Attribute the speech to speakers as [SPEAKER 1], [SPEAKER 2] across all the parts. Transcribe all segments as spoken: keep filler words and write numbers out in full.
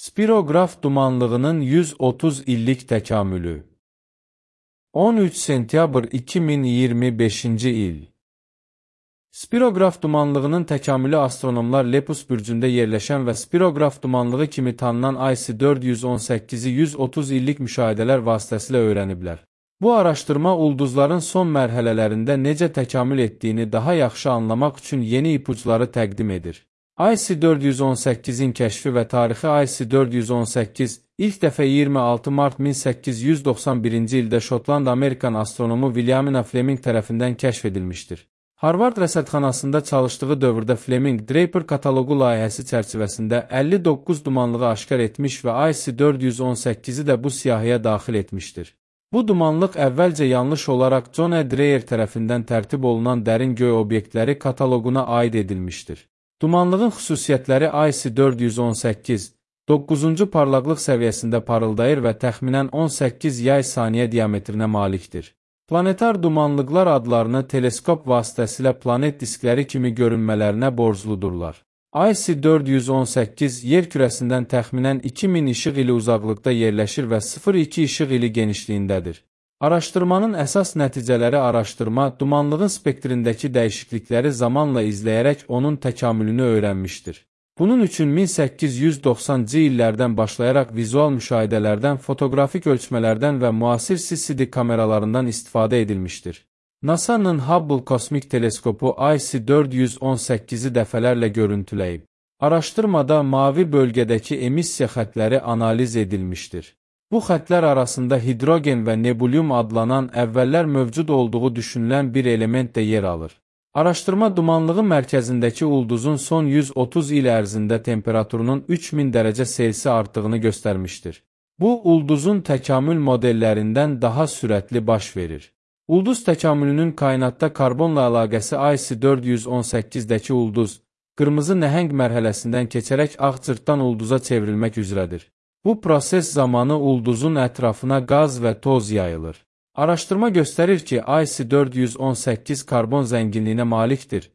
[SPEAKER 1] Spirograf dumanlığının yüz otuz illik təkamülü. on üç sentyabr iki min iyirmi beşinci il. Spirograf dumanlığının təkamülü astronomlar Lepus bürcündə yerləşən və spirograf dumanlığı kimi tanınan I C dörd yüz on səkkizi yüz otuz illik müşahidələr vasitəsilə öyrəniblər. Bu araşdırma ulduzların son mərhələlərində necə təkamül etdiyini daha yaxşı anlamaq üçün yeni ipuçları təqdim edir. I C dörd yüz on səkkizin kəşfi və tarixi I C dörd yüz on səkkiz ilk dəfə iyirmi altı mart min səkkiz yüz doxsan birinci ildə Şotland-Amerikan astronomu William Fleming tərəfindən kəşf edilmişdir. Harvard rəsədxanasında çalışdığı dövrdə Fleming Draper kataloqu layihəsi çərçivəsində əlli doqquz dumanlığı aşkar etmiş və I C dörd yüz on səkkizi də bu siyahıya daxil etmişdir. Bu dumanlıq əvvəlcə yanlış olaraq John E. Dreyer tərəfindən tərtib olunan dərin göy obyektləri kataloquna aid edilmişdir. Dumanlığın xüsusiyyətləri I C dörd yüz on səkkiz doqquzuncu parlaqlıq səviyyəsində parıldayır və təxminən on səkkiz yay saniyə diametrinə malikdir. Planetar dumanlıqlar adlarını teleskop vasitəsilə planet diskləri kimi görünmələrinə borcludurlar. I C dörd yüz on səkkiz yer kürəsindən təxminən iki min işıq ili uzaqlıqda yerləşir və sıfır nöqtə iki işıq ili genişliyindədir. Araşdırmanın əsas nəticələri araşdırma, dumanlığın spektrindəki dəyişiklikləri zamanla izləyərək onun təkamülünü öyrənmişdir. Bunun üçün min səkkiz yüz doxsanıncı illərdən başlayaraq vizual müşahidələrdən, fotoqrafik ölçmələrdən və müasir C C D kameralarından istifadə edilmişdir. NASA'nın Hubble kosmik teleskopu I C dörd yüz on səkkizi dəfələrlə görüntüləyib. Araşdırmada mavi bölgədəki emissiya xəttləri analiz edilmişdir. Bu xəttlər arasında hidrogen və nebulyum adlanan əvvəllər mövcud olduğu düşünülən bir element də yer alır. Araşdırma dumanlığın mərkəzindəki ulduzun son yüz otuz il ərzində temperaturunun üç min dərəcə Selsi artdığını göstərmişdir. Bu, ulduzun təkamül modellərindən daha sürətli baş verir. Ulduz təkamülünün kainatda karbonla əlaqəsi I C dörd yüz on səkkizdə ulduz, qırmızı nəhəng mərhələsindən keçərək ağ cırtdan ulduza çevrilmək üzrədir. Bu proses zamanı ulduzun ətrafına qaz və toz yayılır. Araşdırma göstərir ki, I C dörd yüz on səkkiz karbon zənginliyinə malikdir.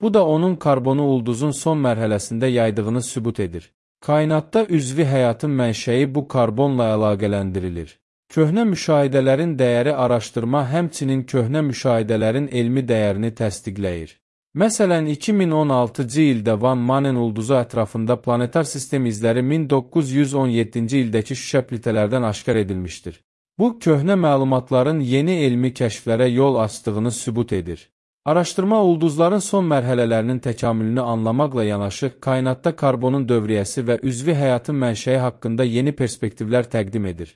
[SPEAKER 1] Bu da onun karbonu ulduzun son mərhələsində yaydığını sübut edir. Kainatda üzvi həyatın mənşəyi bu karbonla əlaqələndirilir. Köhnə müşahidələrin dəyəri araşdırma həmçinin köhnə müşahidələrin elmi dəyərini təsdiqləyir. Məsələn, iki min on altıncı ildə Van Manen ulduzu ətrafında planetar sistem izləri min doqquz yüz on yeddinci ildəki şüşə plitələrdən aşkar edilmişdir. Bu, köhnə məlumatların yeni elmi kəşflərə yol açdığını sübut edir. Araşdırma ulduzların son mərhələlərinin təkamülünü anlamaqla yanaşı, kainatda karbonun dövriyyəsi və üzvi həyatın mənşəyi haqqında yeni perspektivlər təqdim edir.